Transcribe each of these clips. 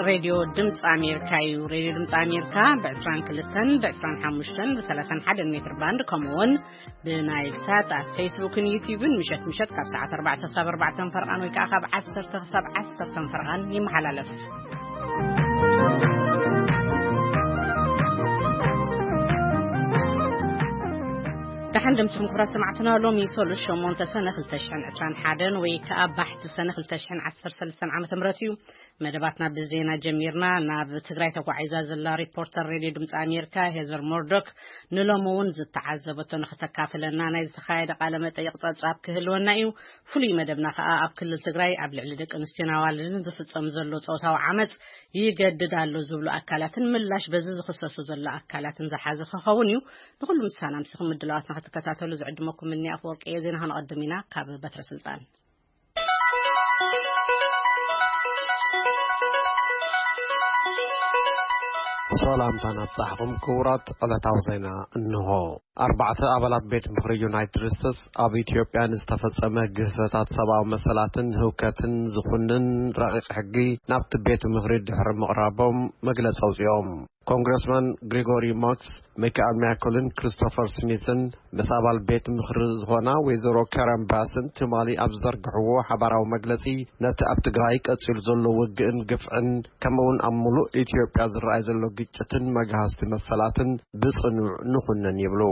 ሬድዮ ድምፂ ኣሜሪካ እዩ። ሬድዮ ድምፂ ኣሜሪካ ብ22፣ ብ25፣ ብ31 ሜትር ባንድ፣ ከምኡ እውን ብናይል ሳት ኣብ ፌስቡክን ዩቲዩብን ምሸት ምሸት ካብ ሰዓት ኣርባዕተ ክሳብ ኣርባዕተ ፈርቓን ወይ ከዓ ካብ ዓሰርተ ክሳብ ዓሰርተ ፈርቓን ይመሓላለፍ። ደሓን ደምስኹም ክቡራት ሰማዕትና፣ ሎሚ ሰሉስ ሸሞንተ ሰነ ክልተ ሽሕን ዕስራን ሓደን ወይ ከዓ ባሕቲ ሰነ ክልተ ሽሕን ዓሰርተ ሰለስተን ዓመተ ምህረት እዩ። መደባትና ብዜና ጀሚርና። ናብ ትግራይ ተጓዒዛ ዘላ ሪፖርተር ሬድዮ ድምፂ ኣሜሪካ ሄዘር ሞርዶክ ንሎሚ እውን ዝተዓዘበቶ ንክተካፍለና ናይ ዝተኻየደ ቃለ መጠይቕ ጸብጻብ ክህልወና እዩ። ፍሉይ መደብና ከዓ ኣብ ክልል ትግራይ ኣብ ልዕሊ ደቂ ኣንስትዮን ኣዋልድን ዝፍጸም ዘሎ ጾታዊ ዓመፅ ይገድድ ኣሎ ዝብሉ ኣካላትን ምላሽ በዚ ዝኽሰሱ ዘሎ ኣካላትን ዝሓዘ ክኸውን እዩ። ንኩሉ ምሳና ምስኹም ምድላዋትና ክትከታተሉ ዝዕድመኩም እኒ ኣፍወርቂ እየ። ዜና ከነቐድም ኢና ካብ በትረ ስልጣን። ሰላምታ ናብጻሕኹም ክቡራት ዕለታዊ ዜና እንሆ። ኣርባዕተ ኣባላት ቤት ምኽሪ ዩናይትድ ስቴትስ ኣብ ኢትዮጵያ ንዝተፈጸመ ግህሰታት ሰብኣዊ መሰላትን ህውከትን ዝኹንን ረቂቕ ሕጊ ናብቲ ቤት ምኽሪ ድሕሪ ምቕራቦም መግለጺ ኣውጺኦም። ኮንግረስማን ግሪጎሪ ማክስ፣ ሚካኤል ሚያኮልን ክሪስቶፈር ስሚትን ምስ ኣባል ቤት ምኽሪ ዝኾና ወይዘሮ ካረን ባስን ትማሊ ኣብ ዝዘርግሕዎ ሓባራዊ መግለጺ፣ ነቲ ኣብ ትግራይ ቀጺሉ ዘሎ ውግእን ግፍዕን ከምኡውን ኣብ ምሉእ ኢትዮጵያ ዝረኣይ ዘሎ ግጭትን መግሃስቲ መሰላትን ብጽኑዕ ንኹንን ይብሉ።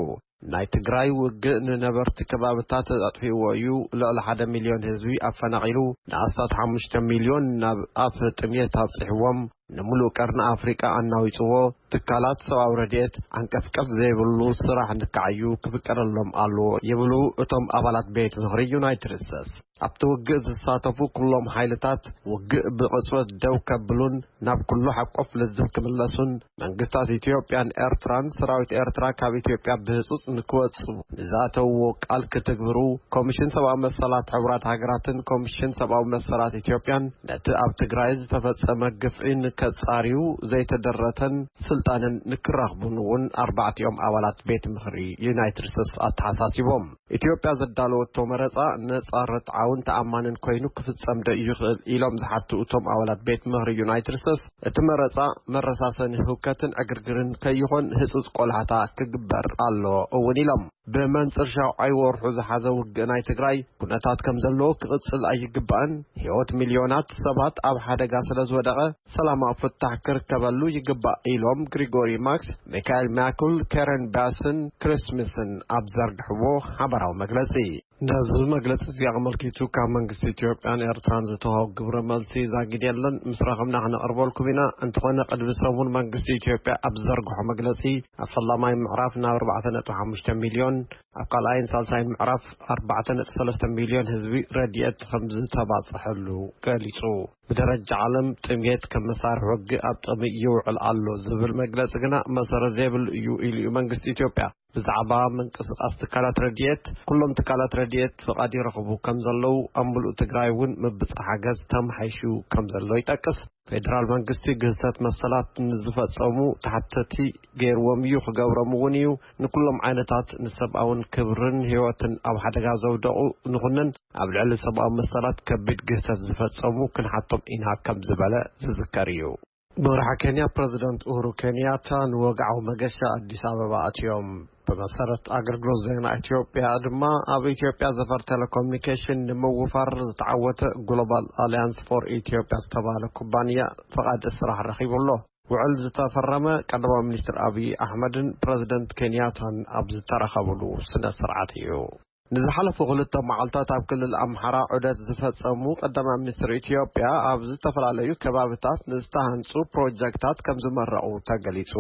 ናይ ትግራይ ውግእ ንነበርቲ ከባብታት ኣጥፊእዎ እዩ፣ ልዕሊ ሓደ ሚልዮን ህዝቢ ኣፈናቒሉ፣ ንኣስታት ሓሙሽተ ሚልዮን ናብ ኣፍ ጥሜት ኣብጺሕዎም፣ ንምሉእ ቀርኒ ኣፍሪቃ ኣናዊጽዎ፣ ትካላት ሰብኣዊ ረድኤት ዓንቀፍቀፍ ዘይብሉ ስራሕ ንክዓዩ ክፍቀደሎም ኣለዎ ይብሉ እቶም ኣባላት ቤት ምኽሪ ዩናይትድ ስቴትስ። ኣብቲ ውግእ ዝሳተፉ ኩሎም ሓይልታት ውግእ ብቕጽበት ደው ከብሉን ናብ ኩሉ ሓቆፍ ልዝብ ክምለሱን መንግስታት ኢትዮጵያን ኤርትራን ሰራዊት ኤርትራ ካብ ኢትዮጵያ ብህጹጽ ንክወጽኡ ንዝኣተውዎ ቃል ክትግብሩ ኮሚሽን ሰብኣዊ መሰላት ሕቡራት ሃገራትን ኮሚሽን ሰብኣዊ መሰላት ኢትዮጵያን ነቲ ኣብ ትግራይ ዝተፈጸመ ግፍዒ ንከጻርዩ ዘይተደረተን ስልጣንን ንክረኽቡን እውን ኣርባዕቲኦም ኣባላት ቤት ምኽሪ ዩናይትድ ስቴትስ ኣተሓሳሲቦም። ኢትዮጵያ ዘዳለወቶ መረጻ ነጻ፣ ርትዓውን ተኣማንን ኮይኑ ክፍጸም ዶ ይኽእል ኢሎም ዝሓቱ እቶም ኣባላት ቤት ምኽሪ ዩናይትድ ስቴትስ፣ እቲ መረጻ መረሳሰኒ ህውከትን ዕግርግርን ከይኾን ህጹጽ ቆላሕታ ክግበር ኣሎ እውን ኢሎም። ብመንጽር ሻውዓይ ወርሑ ዝሓዘ ውግእ ናይ ትግራይ ኩነታት ከም ዘለዎ ክቕጽል ኣይግባእን፣ ህይወት ሚልዮናት ሰባት ኣብ ሓደጋ ስለ ዝወደቐ ሰላማዊ ፍታሕ ክርከበሉ ይግባእ ኢሎም ግሪጎሪ ማክስ፣ ሚካኤል ማኩል፣ ከረን ባስን ክሪስሚስን ኣብ ዘርግሕዎ ሓበራዊ መግለጺ። ነዚ መግለጺ እዚ ኣመልኪቱ ካብ መንግስቲ ኢትዮጵያን ኤርትራን ዝተዋህቦ ግብረ መልሲ ዛጊድ የለን። ምስ ረኸብና ክነቕርበልኩም ኢና። እንተኾነ ቅድሚ ሰሙን መንግስቲ ኢትዮጵያ ኣብ ዝዘርግሖ መግለጺ ኣብ ፈላማይ ምዕራፍ ናብ ኣርባዕተ ነጥቢ ሓሙሽተ ሚልዮን፣ ኣብ ካልኣይን ሳልሳይን ምዕራፍ ኣርባዕተ ነጥቢ ሰለስተ ሚልዮን ህዝቢ ረድኤት ከም ዝተባጽሐሉ ገሊጹ። ብደረጃ ዓለም ጥሜት ከም መሳርሒ ውግእ ኣብ ጥቕሚ ይውዕል ኣሎ ዝብል መግለጺ ግና መሰረት ዘይብሉ እዩ ኢሉ እዩ መንግስቲ ኢትዮጵያ። ብዛዕባ ምንቅስቓስ ትካላት ረድኤት፣ ኩሎም ትካላት ረድኤት ፍቓድ ይረኽቡ ከም ዘለዉ፣ ኣብ ምሉእ ትግራይ እውን ምብጻሕ ሓገዝ ተመሓይሹ ከም ዘሎ ይጠቅስ። ፌደራል መንግስቲ ግህሰት መሰላት ንዝፈጸሙ ተሓተቲ ገይርዎም እዩ፣ ክገብሮም እውን እዩ። ንኩሎም ዓይነታት ንሰብኣውን ክብርን ህይወትን ኣብ ሓደጋ ዘውደቑ ንኹንን ኣብ ልዕሊ ሰብኣዊ መሰላት ከቢድ ግህሰት ዝፈጸሙ ክንሓቶም ኢና ከም ዝበለ ዝዝከር እዩ። መራሒ ኬንያ ፕረዚደንት ኡሁሩ ኬንያታ ንወግዓዊ መገሻ ኣዲስ ኣበባ ኣትዮም። ብመሰረት ኣገልግሎት ዜና ኢትዮጵያ ድማ፣ ኣብ ኢትዮጵያ ዘፈር ቴሌኮሙኒኬሽን ንምውፋር ዝተዓወተ ግሎባል ኣሊያንስ ፎር ኢትዮጵያ ዝተባህለ ኩባንያ ፍቓድ ስራሕ ረኺቡ ኣሎ። ውዕል ዝተፈረመ ቀዳማይ ሚኒስትር ኣብይ ኣሕመድን ፕረዚደንት ኬንያታን ኣብ ዝተረኸብሉ ስነ ስርዓት እዩ። ንዝሓለፉ ክልተ መዓልታት ኣብ ክልል ኣምሓራ ዑደት ዝፈጸሙ ቀዳማይ ሚኒስትር ኢትዮጵያ፣ ኣብ ዝተፈላለዩ ከባብታት ንዝተሃንጹ ፕሮጀክታት ከም ዝመረቑ ተገሊጹ።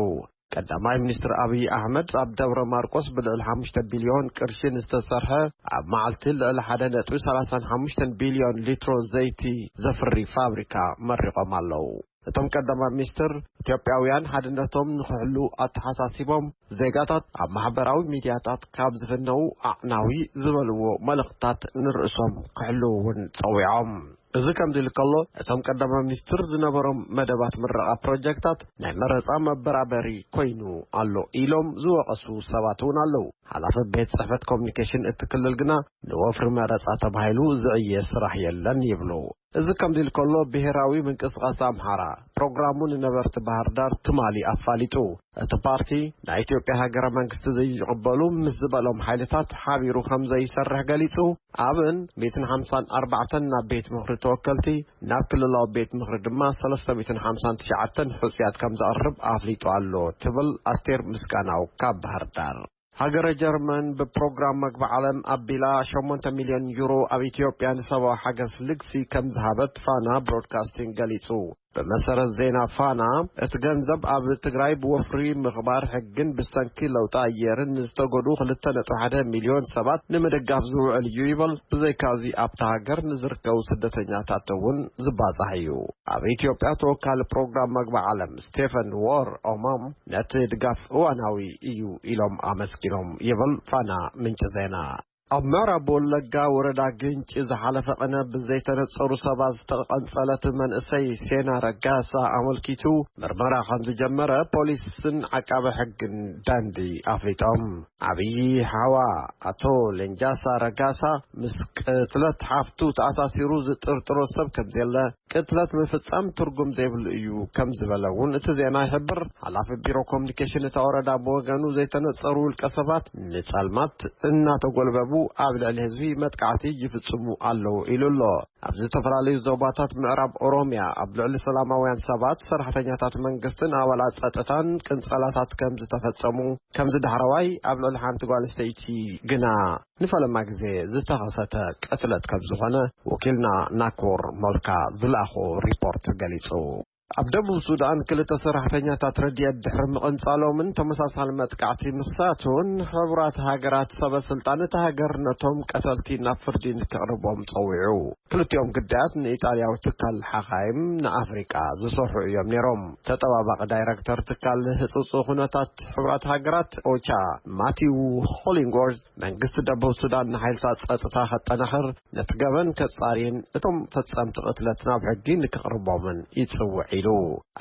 ቀዳማይ ሚኒስትር ኣብይ ኣሕመድ ኣብ ደብረ ማርቆስ ብልዕሊ ሓሙሽተ ቢልዮን ቅርሺ ንዝተሰርሐ፣ ኣብ መዓልቲ ልዕሊ ሓደ ነጥቢ ሰላሳን ሓሙሽተን ቢልዮን ሊትሮ ዘይቲ ዘፍሪ ፋብሪካ መሪቖም ኣለዉ። እቶም ቀዳማይ ሚኒስትር፣ ኢትዮጵያውያን ሓድነቶም ንኽሕሉ ኣተሓሳሲቦም፣ ዜጋታት ኣብ ማሕበራዊ ሚድያታት ካብ ዝፍነዉ ኣዕናዊ ዝበልዎ መልእኽትታት ንርእሶም ክሕልዉ እውን ጸዊዖም። እዚ ከምዚ ኢሉ ከሎ፣ እቶም ቀዳማይ ሚኒስትር ዝነበሮም መደባት ምረቓ ፕሮጀክታት ናይ መረጻ መበራበሪ ኮይኑ ኣሎ ኢሎም ዝወቐሱ ሰባት እውን ኣለዉ። ሓላፊ ቤት ጽሕፈት ኮሙኒኬሽን እቲ ክልል ግና፣ ንወፍሪ መረጻ ተባሂሉ ዝዕየ ስራሕ የለን ይብሉ። እዚ ከምዚ ኢሉ ከሎ፣ ብሄራዊ ምንቅስቃስ ኣምሓራ ፕሮግራሙ ንነበርቲ ባህር ዳር ትማሊ ኣፋሊጡ። እቲ ፓርቲ ናይ ኢትዮጵያ ሃገረ መንግስቲ ዘይቕበሉ ምስ ዝበሎም ሓይልታት ሓቢሩ ከም ዘይሰርሕ ገሊጹ። ኣብን ሚእትን ሓምሳን ኣርባዕተን ናብ ቤት ምኽሪ ተወከልቲ፣ ናብ ክልላዊ ቤት ምኽሪ ድማ ሰለስተ ሚእትን ሓምሳን ትሽዓተን ሕጹያት ከም ዘቕርብ ኣፍሊጡ ኣሎ ትብል ኣስቴር ምስጋናው ካብ ባህር ዳር። ሃገረ ጀርመን ብፕሮግራም መግቢ ዓለም ኣቢላ ሸሞንተ ሚልዮን ዩሮ ኣብ ኢትዮጵያ ንሰብኣዊ ሓገዝ ልግሲ ከም ዝሃበት ፋና ብሮድካስቲንግ ገሊጹ። ብመሰረት ዜና ፋና፣ እቲ ገንዘብ ኣብ ትግራይ ብወፍሪ ምኽባር ሕግን ብሰንኪ ለውጢ ኣየርን ንዝተጎድኡ ክልተ ነጥቢ ሓደ ሚልዮን ሰባት ንምድጋፍ ዝውዕል እዩ ይበል። ብዘይካዚ ኣብታ ሃገር ንዝርከቡ ስደተኛታት እውን ዝባጻሕ እዩ። ኣብ ኢትዮጵያ ተወካሊ ፕሮግራም መግቢ ዓለም ስቴፈን ዎር ኦማም ነቲ ድጋፍ እዋናዊ እዩ ኢሎም ኣመስጊኖም ይብል ፋና ምንጪ ዜና። ኣብ ምዕራብ ወለጋ ወረዳ ግንጪ ዝሓለፈ ቅነ ብዘይተነጸሩ ሰባት ዝተቐንጸለት መንእሰይ ሴና ረጋሳ ኣመልኪቱ ምርመራ ከም ዝጀመረ ፖሊስን ዓቃቢ ሕግን ዳንዲ ኣፍሊጦም። ዓብዪ ሓዋ ኣቶ ሌንጃሳ ረጋሳ ምስ ቅትለት ሓፍቱ ተኣሳሲሩ ዝጥርጥሮ ሰብ ከም ዘየለ፣ ቅትለት ምፍጻም ትርጉም ዘይብሉ እዩ ከም ዝበለ እውን እቲ ዜና ይሕብር። ሓላፊ ቢሮ ኮሚኒኬሽን እታ ወረዳ ብወገኑ፣ ዘይተነጸሩ ውልቀ ሰባት ንጸልማት እናተጎልበቡ ኣብ ልዕሊ ህዝቢ መጥቃዕቲ ይፍጽሙ ኣለዉ ኢሉ ኣሎ። ኣብ ዝተፈላለዩ ዞባታት ምዕራብ ኦሮምያ ኣብ ልዕሊ ሰላማውያን ሰባት፣ ሰራሕተኛታት መንግስትን ኣባላት ጸጥታን ቅንጸላታት ከም ዝተፈጸሙ፣ ከምዚ ዳሕረዋይ ኣብ ልዕሊ ሓንቲ ጓል ኣንስተይቲ ግና ንፈለማ ግዜ ዝተኸሰተ ቅትለት ከም ዝኾነ ወኪልና ናኮር ሞልካ ዝለኣኾ ሪፖርት ገሊጹ። ኣብ ደቡብ ሱዳን ክልተ ሰራሕተኛታት ረድኤት ድሕሪ ምቕንጻሎምን ተመሳሳሊ መጥቃዕቲ ምኽሳቱን፣ ሕቡራት ሃገራት ሰበ ስልጣን እታ ሃገር ነቶም ቀተልቲ ናብ ፍርዲ ንክቕርቦም ጸዊዑ። ክልቲኦም ግዳያት ንኢጣልያዊ ትካል ሓኻይም ንኣፍሪቃ ዝሰርሑ እዮም ነይሮም። ተጠባባቂ ዳይረክተር ትካል ህጹጽ ኩነታት ሕቡራት ሃገራት ኦቻ ማቲው ሆሊንግወርዝ፣ መንግስቲ ደቡብ ሱዳን ንሓይልታት ጸጥታ ከጠናኽር፣ ነቲ ገበን ከጻርይን እቶም ፈጸምቲ ቅትለት ናብ ሕጊ ንክቕርቦምን ይጽውዕ ኢሉ።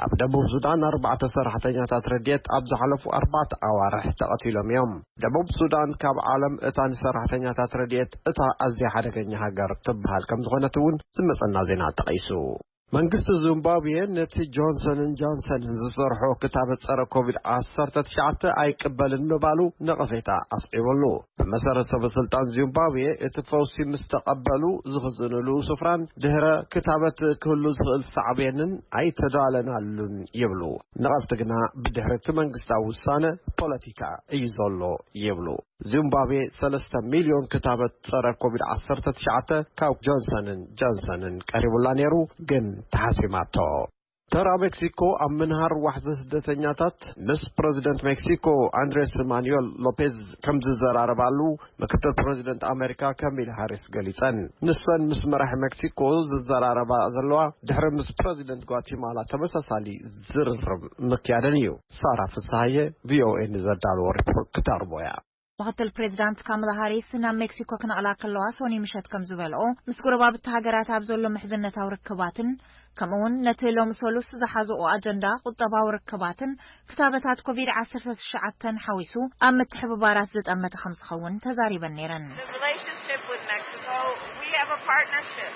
ኣብ ደቡብ ሱዳን ኣርባዕተ ሰራሕተኛታት ረድኤት ኣብ ዝሓለፉ ኣርባዕተ ኣዋርሕ ተቐቲሎም እዮም። ደቡብ ሱዳን ካብ ዓለም እታ ንሰራሕተኛታት ረድኤት እታ ኣዝያ ሓደገኛ ሃገር ትበሃል ከም ዝኾነት እውን ዝመጸና ዜና ጠቒሱ። መንግስቲ ዚምባብዌ ነቲ ጆንሰንን ጆንሰንን ዝሰርሖ ክታበት ጸረ ኮቪድ ዓሰርተ ትሽዓተ ኣይቅበልን ምባሉ ነቐፌታ ኣስዒቡሉ። ብመሰረት ሰበ ስልጣን ዚምባብዌ፣ እቲ ፈውሲ ምስ ተቐበሉ ዝኽዝንሉ ስፍራን ድህረ ክታበት ክህሉ ዝኽእል ሳዕቤንን ኣይተዳለናሉን ይብሉ። ነቐፍቲ ግና ብድሕሪ እቲ መንግስታዊ ውሳነ ፖለቲካ እዩ ዘሎ ይብሉ። ዚምባብዌ ሰለስተ ሚልዮን ክታበት ጸረ ኮቪድ ዓሰርተ ትሽዓተ ካብ ጆንሰንን ጆንሰንን ቀሪቡላ ነይሩ፣ ግን ተሓሲማቶ። ተራ ሜክሲኮ ኣብ ምንሃር ዋሕዚ ስደተኛታት ምስ ፕረዚደንት ሜክሲኮ ኣንድሬስ ማኑኤል ሎፔዝ ከም ዝዘራረባሉ ምክትል ፕረዚደንት ኣሜሪካ ካሚላ ሃሪስ ገሊጸን። ንሰን ምስ መራሒ ሜክሲኮ ዝዘራረባ ዘለዋ ድሕሪ ምስ ፕረዚደንት ጓቲማላ ተመሳሳሊ ዝርርብ ምክያደን እዩ። ሳራ ፍስሃየ ቪኦኤ ንዘዳለዎ ሪፖርት ክተቕርቦ እያ። ምክትል ፕሬዚዳንት ካማላ ሃሪስ ናብ ሜክሲኮ ክነቕላ ከለዋ ሶኒ ምሸት ከም ዝበልኦ፣ ምስ ጎረባብቲ ሃገራት ኣብ ዘሎ ምሕዝነታዊ ርክባትን ከምኡውን ነቲ ሎሚ ሰሉስ ዝሓዝኦ ኣጀንዳ ቁጠባዊ ርክባትን ክታበታት ኮቪድ ዓሰርተ ትሽዓተ ሓዊሱ ኣብ ምትሕብባራት ዝጠመተ ከም ዝኸውን ተዛሪበን ነይረን። The relationship with Mexico, we have a partnership,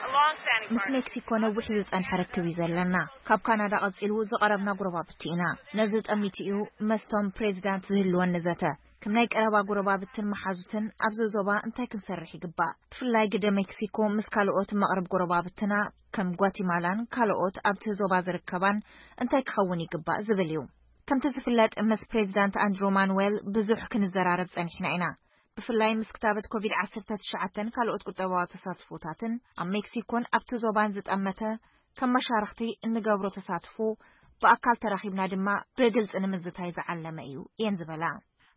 a long-standing ምስ partnership. ሜክሲኮ ነዊሕ ዝጸንሐ ርክብ እዩ ዘለና። ካብ ካናዳ ቀጺሉ ዝቐረብና ጎረባብቲ ኢና። ነዚ ጠሚቱ እዩ መስቶም ፕሬዚዳንት ዝህልወኒ ዘተ። ከም ናይ ቀረባ ጎረባብትን መሓዙትን ኣብዚ ዞባ እንታይ ክንሰርሕ ይግባእ? ብፍላይ ግደ ሜክሲኮ ምስ ካልኦት መቕርብ ጎረባብትና ከም ጓቲማላን ካልኦት ኣብቲ ዞባ ዝርከባን እንታይ ክኸውን ይግባእ ዝብል እዩ። ከምቲ ዝፍለጥ ምስ ፕሬዚዳንት ኣንድሮ ማኑዌል ብዙሕ ክንዘራረብ ጸኒሕና ኢና። ብፍላይ ምስ ክታበት ኮቪድ ዓሰርተ ትሽዓተን ካልኦት ቁጠባዊ ተሳትፎታትን ኣብ ሜክሲኮን ኣብቲ ዞባን ዝጠመተ ከም መሻርኽቲ እንገብሮ ተሳትፎ ብኣካል ተራኺብና ድማ ብግልጺ ንምዝታይ ዝዓለመ እዩ እየን ዝበላ።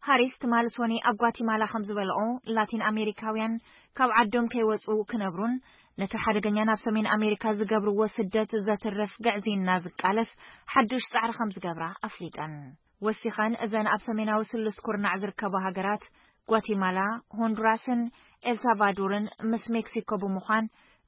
ሃሪስ ትማሊ ሶኒ ኣብ ጓቲማላ ከም ዝበልኦ፣ ላቲን ኣሜሪካውያን ካብ ዓዶም ከይወጹ ክነብሩን ነቲ ሓደገኛ ናብ ሰሜን ኣሜሪካ ዝገብርዎ ስደት ዘትርፍ ግዕዝይና ዝቃለስ ሓዱሽ ጻዕሪ ከም ዝገብራ ኣፍሊጠን። ወሲኸን፣ እዘን ኣብ ሰሜናዊ ስሉስ ኩርናዕ ዝርከባ ሃገራት ጓቲማላ፣ ሆንዱራስን ኤልሳልቫዶርን ምስ ሜክሲኮ ብምዃን፣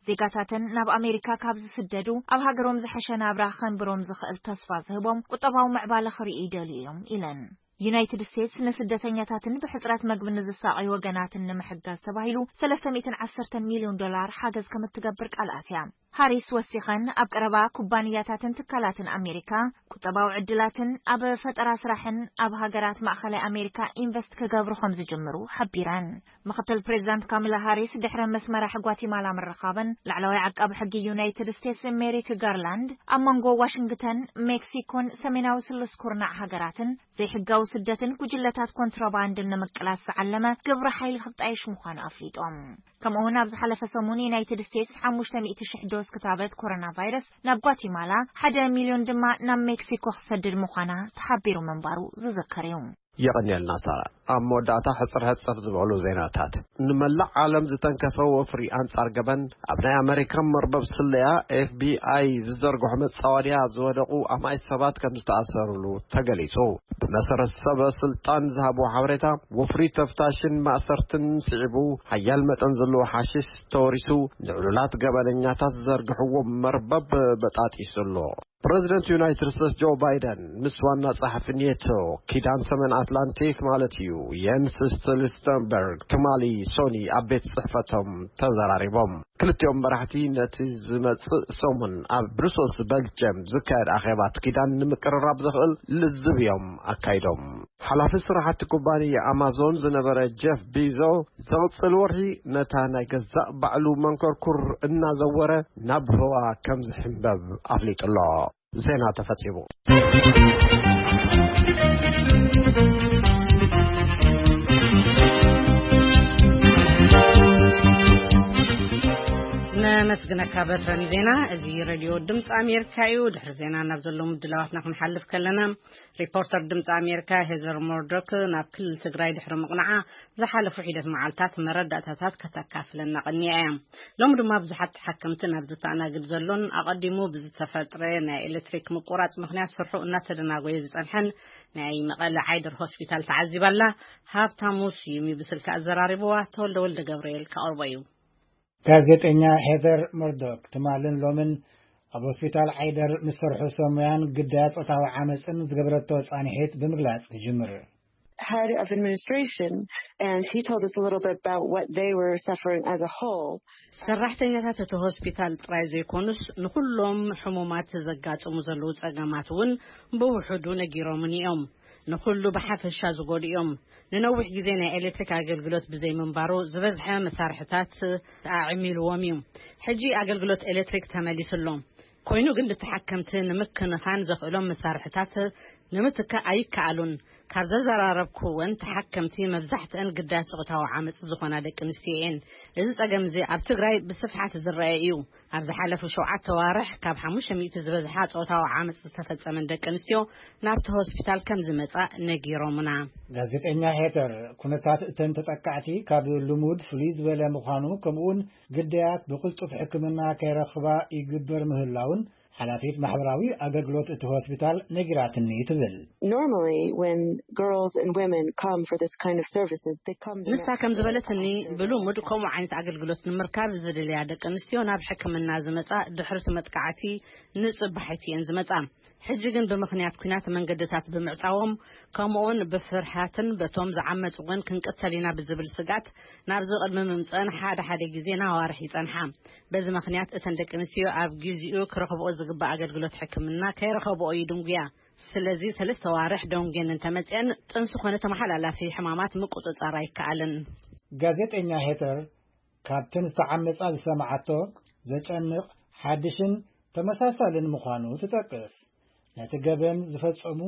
ዜጋታተን ናብ ኣሜሪካ ካብ ዝስደዱ ኣብ ሃገሮም ዝሐሸ ናብራ ከንብሮም ዝኽእል ተስፋ ዝህቦም ቁጠባዊ ምዕባለ ክርእዩ ይደልዩ እዮም ኢለን። ዩናይትድ ስቴትስ ንስደተኛታትን ብሕጽረት መግቢ ንዝሳቐዩ ወገናትን ንምሕጋዝ ተባሂሉ ሰለስተ ሚእትን ዓሰርተ ሚልዮን ዶላር ሓገዝ ከም እትገብር ቃል ኣትያ። ሃሪስ ወሲኸን፣ ኣብ ቀረባ ኩባንያታትን ትካላትን ኣሜሪካ ቁጠባዊ ዕድላትን ኣብ ፈጠራ ስራሕን ኣብ ሃገራት ማእኸላይ ኣሜሪካ ኢንቨስት ክገብሩ ከም ዝጅምሩ ሓቢረን። ምክትል ፕሬዚዳንት ካሚላ ሃሪስ ድሕሪ ምስ መራሒ ጓቲማላ ምርኻበን፣ ላዕለዋይ ዓቃቢ ሕጊ ዩናይትድ ስቴትስ ሜሪክ ጋርላንድ ኣብ መንጎ ዋሽንግተን፣ ሜክሲኮን ሰሜናዊ ስሉስ ኩርናዕ ሃገራትን ዘይሕጋዊ ስደትን ጉጅለታት ኮንትሮባንድን ንምቅላስ ዝዓለመ ግብረ ሓይሊ ክጣየሽ ምዃኑ ኣፍሊጦም። ከምኡ እውን ኣብ ዝሓለፈ ሰሙን ዩናይትድ ስቴትስ ሓሙሽተ ሚእቲ ሽሕ ዶዝ ክታበት ኮሮና ቫይረስ ናብ ጓቲማላ፣ ሓደ ሚልዮን ድማ ናብ ሜክሲኮ ክሰድድ ምዃና ተሓቢሩ ምንባሩ ዝዝከር እዩ። የቐንየልና ሳራ። ኣብ መወዳእታ ሕጽር ሕጽር ዝበሉ ዜናታት። ንመላእ ዓለም ዝተንከፈ ወፍሪ ኣንጻር ገበን ኣብ ናይ ኣመሪካ መርበብ ስለያ ኤፍ ቢ ኣይ ዝዘርግሖ መጻወድያ ዝወደቑ ኣማኢት ሰባት ከም ዝተኣሰርሉ ተገሊጹ። ብመሰረት ሰበ ስልጣን ዝሃብዎ ሓበሬታ፣ ወፍሪ ተፍታሽን ማእሰርትን ስዒቡ፣ ሓያል መጠን ዘለዎ ሓሽሽ ተወሪሱ፣ ንዕሉላት ገበነኛታት ዝዘርግሕዎ መርበብ በጣጢሱ ኣሎ። ፕረዚደንት ዩናይትድ ስቴትስ ጆ ባይደን ምስ ዋና ጸሓፊ ኔቶ፣ ኪዳን ሰሜን ኣትላንቲክ ማለት እዩ፣ የንስ ስቶልተንበርግ፣ ትማሊ ሶኒ ኣብ ቤት ጽሕፈቶም ተዘራሪቦም። ክልቲኦም መራሕቲ ነቲ ዝመጽእ ሰሙን ኣብ ብሩሰልስ በልጀም ዝካየድ ኣኼባት ኪዳን ንምቅርራብ ዘኽእል ልዝብ እዮም ኣካይዶም። ሓላፊ ስራሕቲ ኩባንያ ኣማዞን ዝነበረ ጀፍ ቢዞ፣ ዝቕጽል ወርሒ ነታ ናይ ገዛእ ባዕሉ መንኮርኩር እናዘወረ ናብ ህዋ ከም ዝሕንበብ ኣፍሊጡ ኣሎ። ዜና ተፈጺሙ። ነመስግነካ በትረን ዜና። እዚ ሬድዮ ድምፂ ኣሜሪካ እዩ። ድሕሪ ዜና ናብ ዘለዉ ምድላዋትና ክንሓልፍ ከለና፣ ሪፖርተር ድምፂ ኣሜሪካ ሄዘር ሞርዶክ ናብ ክልል ትግራይ ድሕሪ ምቕናዓ ዝሓለፉ ሒደት መዓልታት መረዳእታታት ከተካፍለና ቀኒያ እያ። ሎሚ ድማ ብዙሓት ተሓከምቲ ናብ ዝተኣናግድ ዘሎን ኣቐዲሙ ብዝተፈጥረ ናይ ኤሌክትሪክ ምቁራፅ ምኽንያት ስርሑ እናተደናጎየ ዝፀንሐን ናይ መቐለ ዓይደር ሆስፒታል ተዓዚባ ኣላ። ሃብታሙ ስዩም እዩ ብስልኪ ኣዘራሪብዋ። ተወልደ ወልደ ገብርኤል ከቕርቦ እዩ። ጋዜጠኛ ሄዘር መርዶክ ትማልን ሎምን ኣብ ሆስፒታል ዓይደር ምስ ሰርሑ ሰሙያን ግዳያት ጾታዊ ዓመፅን ዝገበረቶ ፃንሒት ብምግላፅ ትጅምር። Head of administration, and he told us a little bit about what they were suffering as a whole. ሰራሕተኛታት እቲ ሆስፒታል ጥራይ ዘይኮኑስ፣ ንኹሎም ሕሙማት ዘጋጥሙ ዘለዉ ጸገማት እውን ብውሑዱ ነጊሮምኒ እዮም። ንኹሉ ብሓፈሻ ዝጎድኡ እዮም። ንነዊሕ ግዜ ናይ ኤሌክትሪክ ኣገልግሎት ብዘይምንባሩ፣ ዝበዝሐ መሳርሕታት ኣዕሚልዎም እዩ። ሕጂ ኣገልግሎት ኤሌክትሪክ ተመሊሱ ኣሎ። ኮይኑ ግን፣ ንተሓከምቲ ንምክንኻን ዘኽእሎም መሳርሕታት ንምትካእ ኣይከኣሉን። ካብ ዘዘራረብኩወን ተሓከምቲ፣ መብዛሕትአን ግዳያት ጾታዊ ዓመጽ ዝኾና ደቂ ኣንስትዮ እየን። እዚ ጸገም እዚ ኣብ ትግራይ ብስፍሓት ዝረአ እዩ። ኣብ ዝሓለፉ ሸውዓተ ኣዋርሕ፣ ካብ ሓሙሽተ ሚእቲ ዝበዝሓ ጾታዊ ዓመጽ ዝተፈጸመን ደቂ ኣንስትዮ ናብቲ ሆስፒታል ከም ዝመጻ ነጊሮምና። ጋዜጠኛ ሄተር፣ ኩነታት እተን ተጠቃዕቲ ካብ ልሙድ ፍሉይ ዝበለ ምዃኑ፣ ከምኡውን ግዳያት ብቕልጡፍ ሕክምና ከይረኽባ ይግበር ምህላውን ሓላፊት ማሕበራዊ ኣገልግሎት እቲ ሆስፒታል ነጊራትኒ ትብል። Normally, when girls and women come for this kind of services, they come ንሳ ከም ዝበለትኒ፣ ብልሙድ ከምኡ ዓይነት ኣገልግሎት ንምርካብ ዝደልያ ደቂ ኣንስትዮ ናብ ሕክምና ዝመጻ ድሕርቲ መጥቃዕቲ ንጽባሒት እየን ዝመጻ። ሕጂ ግን ብምኽንያት ኲናት መንገድታት ብምዕጻዎም፣ ከምኡውን ብፍርሃትን በቶም ዝዓመጹ እውን ክንቅተል ኢና ብዝብል ስግኣት ናብዚ ቅድሚ ምምጽአን ሓደ ሓደ ግዜ ንኣዋርሕ ይጸንሓ። በዚ ምኽንያት እተን ደቂ ኣንስትዮ ኣብ ግዚኡ ክረኽብኦ ዝግባእ ኣገልግሎት ሕክምና ከይረኸብኦ ይድንጉያ። ስለዚ ሰለስተ ኣዋርሕ ደንጉየን እንተመጽአን ጥንሲ ኮነ ተመሓላላፊ ሕማማት ምቁጽጻር ኣይከኣልን። ጋዜጠኛ ሄተር ካብተን ዝተዓመጻ ዝሰማዓቶ ዘጨንቕ ሓድሽን ተመሳሳልን ምዃኑ ትጠቅስ። ነቲ ገበን ዝፈጸሙ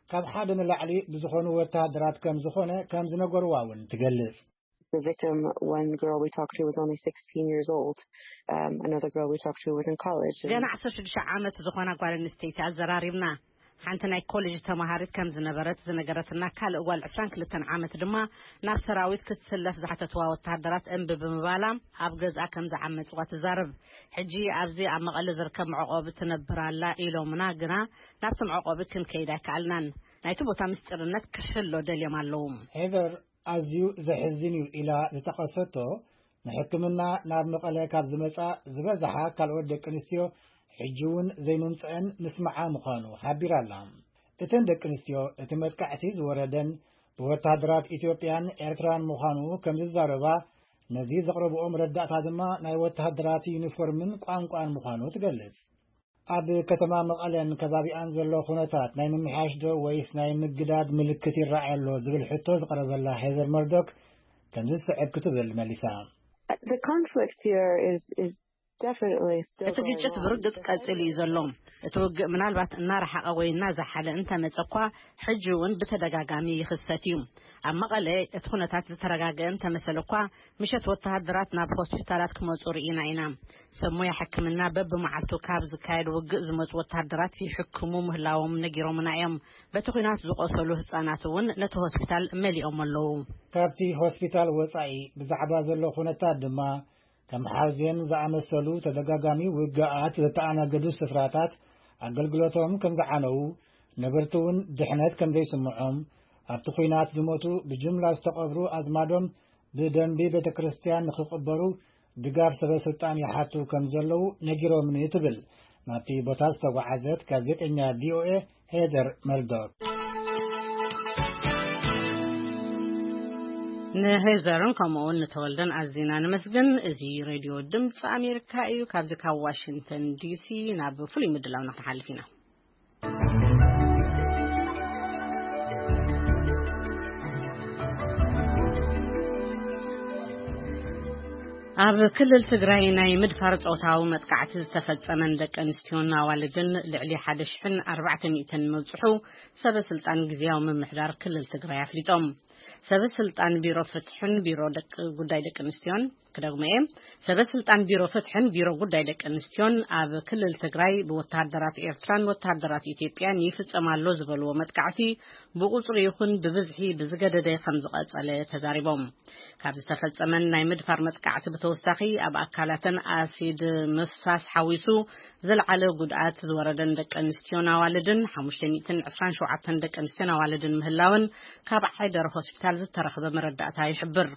ካብ ሓደ ንላዕሊ ብዝኾኑ ወተሃደራት ከም ዝኾነ ከም ዝነገርዋ እውን ትገልጽ። The victim, one girl we talked to, was only sixteen years old. Um, another girl we talked to was in college. And ገና ዓሰርተ ሽዱሽተ ዓመት ዝኾና ጓል ኣንስተይቲ ኣዘራሪብና። ሓንቲ ናይ ኮሌጅ ተማሃሪት ከም ዝነበረት ዝነገረትና ካልእ ጓል ዕስራን ክልተን ዓመት ድማ ናብ ሰራዊት ክትስለፍ ዝሓተትዋ ወተሃደራት እምቢ ብምባላ ኣብ ገዝኣ ከም ዝዓመጽዋ ትዛረብ። ሕጂ ኣብዚ ኣብ መቐለ ዝርከብ መዕቆቢ ትነብር ኣላ ኢሎምና፣ ግና ናብቲ መዕቆቢ ክንከይድ ኣይከኣልናን። ናይቲ ቦታ ምስጢርነት ክሕሎ ደልዮም ኣለዉ። ሄዘር ኣዝዩ ዘሕዝን እዩ ኢላ ዝጠቐሰቶ ንሕክምና ናብ መቐለ ካብ ዝመጻ ዝበዝሓ ካልኦት ደቂ ኣንስትዮ ሕጂ እውን ዘይምምጽአን ምስማዓ ምዃኑ ሓቢራ ኣላ። እተን ደቂ ኣንስትዮ እቲ መጥቃዕቲ ዝወረደን ብወተሃደራት ኢትዮጵያን ኤርትራን ምዃኑ ከም ዝዛረባ፣ ነዚ ዘቕረብኦ መረዳእታ ድማ ናይ ወተሃደራት ዩኒፎርምን ቋንቋን ምዃኑ ትገልጽ። ኣብ ከተማ መቐለን ከባቢኣን ዘሎ ኩነታት ናይ ምምሕያሽ ዶ ወይስ ናይ ምግዳድ ምልክት ይረኣይ ኣሎ ዝብል ሕቶ ዝቐረበላ ሄዘር መርዶክ ከምዚ ዝስዕብ ክትብል መሊሳ። The conflict here is, is definitely still እቲ going ግጭት on. ብርግጽ ቀጺሉ እዩ ዘሎ። እቲ ውግእ ምናልባት እናረሓቐ ወይ እናዛሓለ እንተመጸ እኳ፣ ሕጂ እውን ብተደጋጋሚ ይኽሰት እዩ። ኣብ መቐለ እቲ ኩነታት ዝተረጋገአ እንተመሰለ እኳ፣ ምሸት ወተሃደራት ናብ ሆስፒታላት ክመጹ ርኢና ኢና። ሰብ ሞያ ሕክምና በብመዓልቱ ካብ ዝካየድ ውግእ ዝመጹ ወተሃደራት ይሕክሙ ምህላዎም ነጊሮምና እዮም። በቲ ኲናት ዝቖሰሉ ህጻናት እውን ነቲ ሆስፒታል መሊኦም ኣለዉ። ካብቲ ሆስፒታል ወጻኢ ብዛዕባ ዘሎ ኩነታት ድማ፣ ከም ሓውዜን ዝኣመሰሉ ተደጋጋሚ ውግኣት ዘተኣናገዱ ስፍራታት ኣገልግሎቶም ከም ዝዓነዉ፣ ነበርቲ እውን ድሕነት ከም ዘይስምዖም፣ ኣብቲ ኲናት ዝሞቱ ብጅምላ ዝተቐብሩ ኣዝማዶም ብደንቢ ቤተ ክርስቲያን ንኽቕበሩ ድጋፍ ሰበ ስልጣን ይሓቱ ከም ዘለዉ ነጊሮምኒ ትብል ናብቲ ቦታ ዝተጓዓዘት ጋዜጠኛ ቪ ኦ ኤ ሄደር መርዶክ። ንሄዘርን ከምኡውን ንተወልደን ኣዚና ነመስግን። እዚ ሬድዮ ድምፂ ኣሜሪካ እዩ። ካብዚ ካብ ዋሽንግተን ዲ ሲ ናብ ፍሉይ ምድላውና ክንሓልፍ ኢና። ኣብ ክልል ትግራይ ናይ ምድፋር ጾታዊ መጥቃዕቲ ዝተፈጸመን ደቂ ኣንስትዮን ኣዋልድን ልዕሊ ሓደ ሽሕን ኣርባዕተ ሚእትን ምብጽሑ ሰበ ስልጣን ግዝያዊ ምምሕዳር ክልል ትግራይ ኣፍሊጦም። ሰበ ስልጣን ቢሮ ፍትሕን ቢሮ ደቂ፣ ጉዳይ ደቂ ኣንስትዮን፣ ክደግሞ እየ፣ ሰበ ስልጣን ቢሮ ፍትሕን ቢሮ ጉዳይ ደቂ ኣንስትዮን ኣብ ክልል ትግራይ ብወተሃደራት ኤርትራን ወተሃደራት ኢትዮጵያን ይፍጸም ኣሎ ዝበልዎ መጥቃዕቲ ብቁጽሪ ይኹን ብብዝሒ ብዝገደደ ከም ዝቐጸለ ተዛሪቦም። ካብ ዝተፈጸመን ናይ ምድፋር መጥቃዕቲ ብተወሳኺ ኣብ ኣካላተን ኣሲድ ምፍሳስ ሓዊሱ ዝለዓለ ጉድኣት ዝወረደን ደቂ ኣንስትዮን ኣዋልድን ሓሙሽተ ሚእትን ዕስራን ሸውዓተን ደቂ ኣንስትዮን ኣዋልድን ምህላውን ካብ ዓይደር ሆስፒታል ዝተረኽበ መረዳእታ ይሕብር።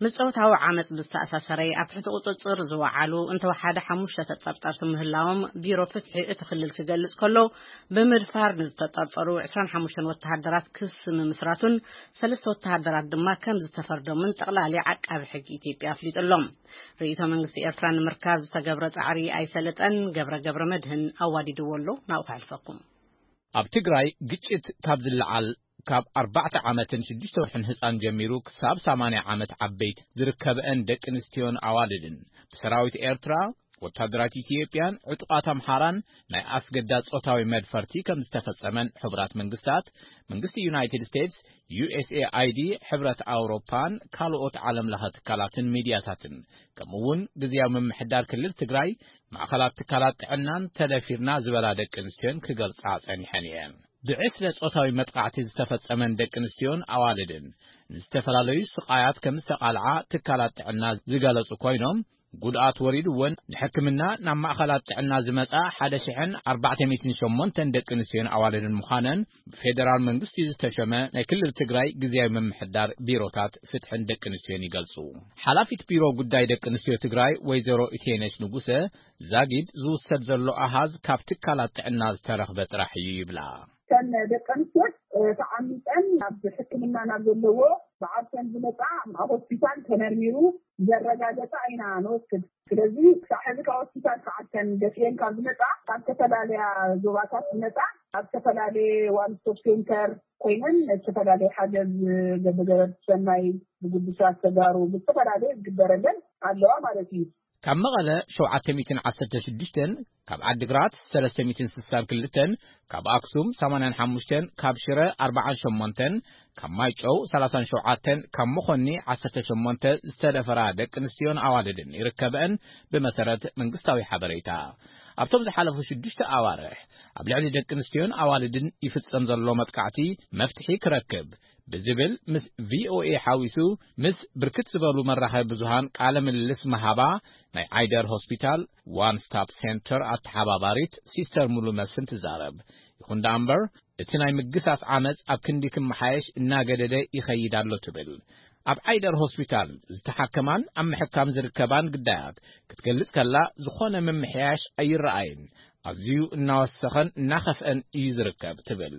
ምስ ጾታዊ ዓመጽ ብዝተኣሳሰረ ኣብ ትሕቲ ቁጽጽር ዝወዓሉ እንተወሓደ ሓሙሽተ ተጠርጠርቲ ምህላዎም ቢሮ ፍትሒ እቲ ክልል ክገልጽ ከሎ፣ ብምድፋር ንዝተጠርጠሩ ዕስራን ሓሙሽተን ወተሃደራት ክሲ ምምስራቱን ሰለስተ ወተሃደራት ድማ ከም ዝተፈርዶምን ጠቕላሊ ዓቃቢ ሕጊ ኢትዮጵያ ኣፍሊጡ ኣሎ። ርእይቶ መንግስቲ ኤርትራ ንምርካብ ዝተገብረ ጻዕሪ ኣይሰለጠን። ገብረ ገብረ መድህን ኣዋዲድዎ ኣሎ። ናብኡ ከሕልፈኩም። ኣብ ትግራይ ግጭት ካብ ዝለዓል ካብ ኣርባዕተ ዓመትን ሽዱሽተ ወርሕን ህጻን ጀሚሩ ክሳብ ሰማንያ ዓመት ዓበይቲ ዝርከበአን ደቂ ኣንስትዮን ኣዋልድን ብሰራዊት ኤርትራ፣ ወታደራት ኢትዮጵያን ዕጡቓት ኣምሓራን ናይ ኣስገዳድ ጾታዊ መድፈርቲ ከም ዝተፈጸመን ሕቡራት መንግስታት፣ መንግስቲ ዩናይትድ ስቴትስ፣ ዩ ኤስ ኤ ኣይ ዲ፣ ሕብረት ኣውሮፓን ካልኦት ዓለም ለኸ ትካላትን ሚድያታትን፣ ከምኡ እውን ግዝያዊ ምምሕዳር ክልል ትግራይ ማእኸላት ትካላት ጥዕናን ተደፊርና ዝበላ ደቂ ኣንስትዮን ክገልጻ ጸኒሐን እየን። ብዕስለ ጾታዊ መጥቃዕቲ ዝተፈጸመን ደቂ ኣንስትዮን ኣዋልድን ንዝተፈላለዩ ስቓያት ከም ዝተቓልዓ ትካላት ጥዕና ዝገለጹ ኮይኖም፣ ጉድኣት ወሪድወን ንሕክምና ናብ ማእኸላት ጥዕና ዝመጻ ሓደ ሽሕን ኣርባዕተ ሚእትን ሸሞንተን ደቂ ኣንስትዮን ኣዋልድን ምዃነን ብፌደራል መንግስቲ ዝተሸመ ናይ ክልል ትግራይ ግዝያዊ ምምሕዳር ቢሮታት ፍትሕን ደቂ ኣንስትዮን ይገልጹ። ሓላፊት ቢሮ ጉዳይ ደቂ ኣንስትዮ ትግራይ ወይዘሮ ኢቴነሽ ንጉሰ ዛጊድ ዝውሰድ ዘሎ ኣሃዝ ካብ ትካላት ጥዕና ዝተረኽበ ጥራሕ እዩ ይብላ። እተን ደቂ ኣንስትዮ፣ እ፣ ተዓሚፀን ናብ ሕክምና ናብ ዘለዎ ብዓርሰን ዝመፃ ኣብ ሆስፒታል ተመርሚሩ ዘረጋገፃ ኢና ንወስድ። ስለዚ ክሳብ ሕዚ ካብ ሆስፒታል ተዓርሰን ደፊአን ካብ ዝመፃ ካብ ዝተፈላለያ ዞባታት ዝመፃ ኣብ ዝተፈላለየ ዋን ስቶፕ ሴንተር ኮይነን ዝተፈላለየ ሓገዝ ገበገበት ሰናይ ብጉዱሳት ተጋሩ ብዝተፈላለየ ዝግበረለን ኣለዋ ማለት እዩ። ካብ መቐለ ሸውዓተ ሚእትን ዓሰርተ ሽዱሽተን፣ ካብ ዓዲግራት ሰለስተ ሚእትን ስሳን ክልተን፣ ካብ ኣክሱም ሰማንያን ሓሙሽተን፣ ካብ ሽረ ኣርባዓን ሸሞንተን፣ ካብ ማይጨው ሰላሳን ሸውዓተን፣ ካብ መኾኒ ዓሰርተ ሸሞንተ ዝተደፈራ ደቂ ኣንስትዮን ኣዋልድን ይርከበአን ብመሰረት መንግስታዊ ሓበሬታ። ኣብቶም ዝሓለፉ ሽዱሽተ ኣዋርሕ ኣብ ልዕሊ ደቂ ኣንስትዮን ኣዋልድን ይፍጸም ዘሎ መጥቃዕቲ መፍትሒ ክረክብ ብዝብል ምስ ቪ ኦ ኤ ሓዊሱ ምስ ብርክት ዝበሉ መራኸቢ ብዙሃን ቃለ ምልልስ መሃባ ናይ ዓይደር ሆስፒታል ዋን ስታፕ ሴንተር ኣተሓባባሪት ሲስተር ሙሉ መስፍን ትዛረብ። ይኹን ደኣ እምበር እቲ ናይ ምግሳስ ዓመፅ ኣብ ክንዲ ክመሓየሽ እናገደደ ይኸይድ ኣሎ ትብል። ኣብ ዓይደር ሆስፒታል ዝተሓከማን ኣብ ምሕካም ዝርከባን ግዳያት ክትገልጽ ከላ፣ ዝኾነ ምምሕያሽ ኣይረኣይን፣ ኣዝዩ እናወሰኸን እናኸፍአን እዩ ዝርከብ ትብል።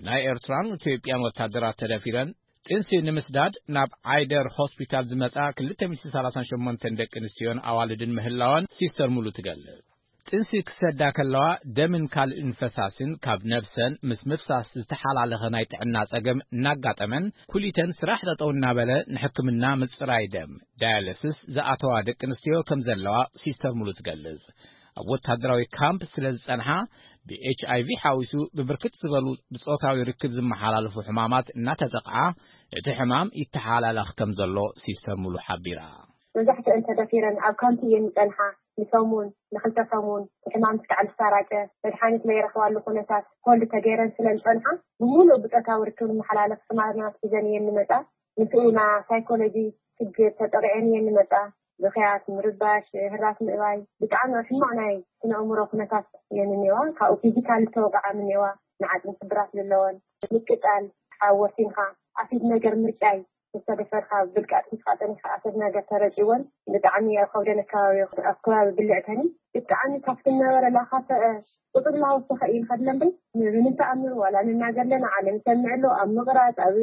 ብናይ ኤርትራን ኢትዮጵያን ወታደራት ተደፊረን ጥንሲ ንምስዳድ ናብ ዓይደር ሆስፒታል ዝመጻ ክልተ ሚእቲ ሰላሳን ሸሞንተን ደቂ ኣንስትዮን ኣዋልድን ምህላወን ሲስተር ሙሉ ትገልጽ። ጥንሲ ክሰዳ ከለዋ ደምን ካልእን ፈሳስን ካብ ነብሰን ምስ ምፍሳስ ዝተሓላለኸ ናይ ጥዕና ጸገም እናጋጠመን፣ ኩሊተን ስራሕ ጠጠው እናበለ ንሕክምና ምጽራይ ደም፣ ዳያሊሲስ፣ ዝኣተዋ ደቂ ኣንስትዮ ከም ዘለዋ ሲስተር ሙሉ ትገልጽ። ኣብ ወታደራዊ ካምፕ ስለ ዝጸንሓ፣ ብኤች ኣይ ቪ ሓዊሱ ብብርክት ዝበሉ ብጾታዊ ርክብ ዝመሓላለፉ ሕማማት እናተጠቕዓ፣ እቲ ሕማም ይተሓላለኽ ከም ዘሎ ሲስተር ሙሉ ሓቢራ። መብዛሕትአን ተደፊረን ኣብ ካምፕ እየን ዝጸንሓ። ንሰሙን፣ ንኽልተ ሰሙን፣ እቲ ሕማም ክሳዕ ዝሰራጨ፣ መድሓኒት ለይረኽባሉ ኩነታት ሆልድ ተገይረን ስለ ዝጸንሓ፣ ብምሉእ ብጾታዊ ርክብ ዝመሓላለፍ ሕማማት ሒዘን እየን ዝመጻ። ንስኡ ና ሳይኮሎጂ ችግር ተጠቂዐን እየን ዝመጻ። ብኽያት፣ ምርባሽ፣ ህራስ ምእባይ፣ ብጣዕሚ ሕማቕ ናይ ስነ ኣእምሮ ኩነታት እየን እኒዋ። ካብኡ ፊዚካሊ ዝተወቅዓ እኒዋ፣ ንዓጽሚ ስብራት ዘለወን። ምቅጻል፣ ሓወሲንካ፣ ኣሲድ ነገር ምርጫይ፣ ዝተደፈርካ ብልቃጥ ሒዝካ ጸኒሕካ ኣሲድ ነገር ተረጭወን። ብጣዕሚ ኣብ ከብደን ኣከባቢ፣ ኣብ ከባቢ ብልዕተን ብጣዕሚ ካብቲ ነበረ ላኻፈአ ቁጽሪ ላወሰኸ እዩ ንኸድለን በይ። ምንም ተኣምር ዋላ ንናገር ኣለና፣ ዓለም ይሰምዕ ኣሎ፣ ኣብ ምቕራጽ፣ ኣብ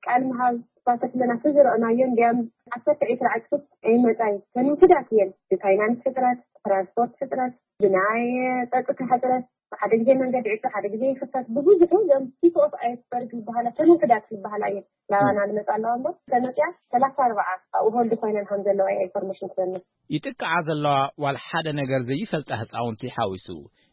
ቃል ምሃብ፣ ተሳተፍ ኣለና፣ ተዝረእናዮ እንዲያም ዓሰርተ ዒስራ ዕጽፍ ኣይመጻይ። ተንውስዳት እየን። ብፋይናንስ ሕጽረት፣ ትራንስፖርት ሕጽረት፣ ብናይ ጸጥታ ሕጽረት፣ ሓደ ግዜ መንገዲ ዕጹ፣ ሓደ ግዜ ይኽፈት። ብብዙሑ እዞም ቲፕ ኦፍ ኣይስበርግ ዝበሃላ፣ ተንውስዳት ዝበሃላ እየን ናባና ዝመጻ ኣለዋ እምበር፣ ተመጽያ ሰላሳ ኣርባዓ ኣብኡ ሆልድ ኮይነን ከም ዘለዋ እያ ኢንፎርሜሽን ትበኒ። ይጥቅዓ ዘለዋ ዋላ ሓደ ነገር ዘይፈልጣ ህጻውንቲ ሓዊሱ፣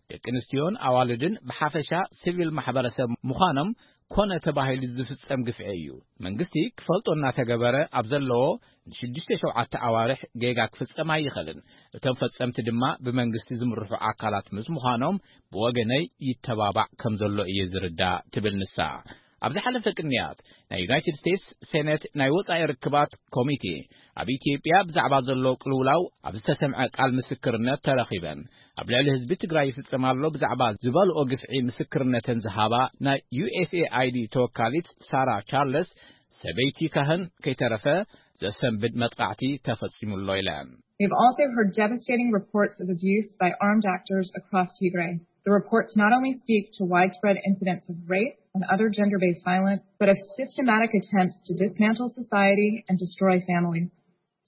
ደቂ ኣንስትዮን ኣዋልድን ብሓፈሻ ሲቪል ማሕበረሰብ ምዃኖም ኮነ ተባሂሉ ዝፍጸም ግፍዒ እዩ። መንግስቲ ክፈልጦ እናተገበረ ኣብ ዘለዎ ንሽዱሽተ ሸውዓተ ኣዋርሕ ጌጋ ክፍጸም ኣይኽእልን። እቶም ፈጸምቲ ድማ ብመንግስቲ ዝምርሑ ኣካላት ምስ ምዃኖም ብወገነይ ይተባባዕ ከም ዘሎ እየ ዝርዳእ ትብል ንሳ። ኣብ ዝሓለፈ ቅንያት ናይ ዩናይትድ ስቴትስ ሴኔት ናይ ወጻኢ ርክባት ኮሚቴ ኣብ ኢትዮጵያ ብዛዕባ ዘሎ ቅልውላው ኣብ ዝተሰምዐ ቃል ምስክርነት ተረኺበን ኣብ ልዕሊ ህዝቢ ትግራይ ይፍጸም ኣሎ ብዛዕባ ዝበልኦ ግፍዒ ምስክርነተን ዝሃባ ናይ ዩ ኤስ ኤ ኣይ ዲ ተወካሊት ሳራ ቻርለስ ሰበይቲ ካህን ከይተረፈ ዘሰንብድ መጥቃዕቲ ተፈጺሙ ኣሎ ኢለን። We've also heard devastating reports of abuse by armed actors across Tigray. The reports not only speak to widespread incidents of rape and other gender-based violence, but of systematic attempts to dismantle society and destroy families.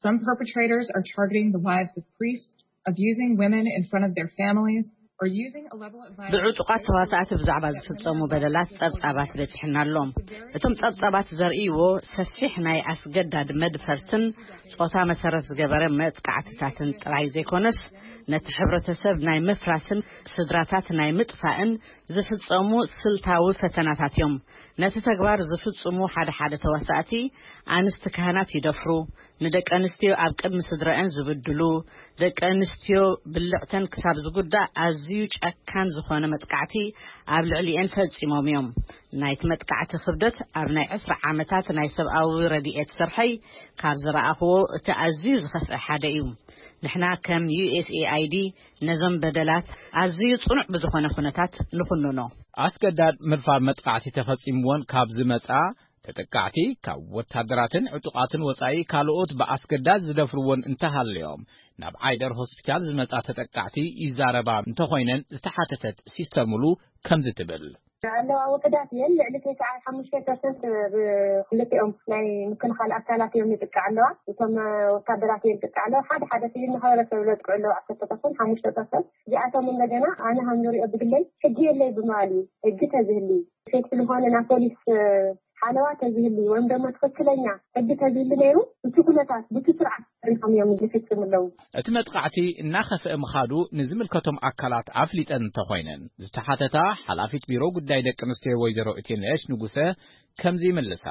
Some perpetrators are targeting the wives of priests, abusing women in front of their families, or using a level of violence ብዕጡቓት ተዋሳእቲ ብዛዕባ ዝፍጸሙ በደላት ጸብጻባት በጺሕና ኣሎ። እቶም ጸብጻባት ዘርእይዎ ሰፊሕ ናይ ኣስገዳድ መድፈርትን ጾታ መሰረት ዝገበረ መጥቃዕትታትን ጥራይ ዘይኮነስ፣ ነቲ ሕብረተሰብ ናይ ምፍራስን ስድራታት ናይ ምጥፋእን ዝፍጸሙ ስልታዊ ፈተናታት እዮም። ነቲ ተግባር ዝፍጽሙ ሓደ ሓደ ተዋሳእቲ ኣንስቲ ካህናት ይደፍሩ፣ ንደቂ ኣንስትዮ ኣብ ቅድሚ ስድረአን ዝብድሉ፣ ደቂ ኣንስትዮ ብልዕተን ክሳብ ዝጉዳእ ኣዝዩ ጨካን ዝኾነ መጥቃዕቲ ኣብ ልዕሊኤን ፈጺሞም እዮም። ናይቲ መጥቃዕቲ ክብደት ኣብ ናይ ዕስራ ዓመታት ናይ ሰብኣዊ ረድኤት ስርሐይ ካብ ዝረኣኽዎ እቲ ኣዝዩ ዝኸፍአ ሓደ እዩ። ንሕና ከም ዩ ኤስ ኤ ኣይ ዲ ነዞም በደላት ኣዝዩ ጽኑዕ ብዝኾነ ኩነታት ንኹንኖ። ኣስገዳድ ምድፋር መጥቃዕቲ ተፈጺምወን ካብ ዝመጻ ተጠቃዕቲ ካብ ወታደራትን ዕጡቓትን ወጻኢ ካልኦት ብኣስገዳድ ዝደፍርወን እንተሃለዮም ናብ ዓይደር ሆስፒታል ዝመጻ ተጠቃዕቲ ይዛረባ እንተኾይነን ዝተሓተተት ሲስተር ሙሉ ከምዚ ትብል። ኣለዋ ውሑዳት እየን። ልዕሊ ተስዓ ሓሙሽተ ፐርሰንት ብክልቲኦም ናይ ምክልኻል ኣካላት እዮም ይጥቃዕ ኣለዋ። እቶም ወታደራት እዮም ይጥቃዕ ኣለዋ። ሓደ ሓደ ሲቪል ማሕበረሰብ ዘጥቅዑ ኣለዉ ዓሰርተ ፐርሰንት፣ ሓሙሽተ ፐርሰንት። እዚኣቶም እንደገና ኣነ ከም ዝሪኦ ብግለይ ሕጊ የለይ ብምባል እዩ። ሕጊ ተዝህሊ ሴፍቲ ዝኾነ ናይ ፖሊስ ሓለዋ ተዝህሊ ወይም ደሞ ትኽክለኛ ሕጊ ተዝህሊ ነይሩ፣ እቲ ኩነታት ብቲ ስርዓት ተሪኾም እዮም ዝፍጽሙ ኣለዉ። እቲ መጥቃዕቲ እናኸፍአ ምኻዱ ንዝምልከቶም ኣካላት ኣፍሊጠን እንተኾይነን፣ ዝተሓተታ ሓላፊት ቢሮ ጉዳይ ደቂ ኣንስትዮ ወይዘሮ እቴነሽ ንጉሰ ከምዚ ይምልሳ።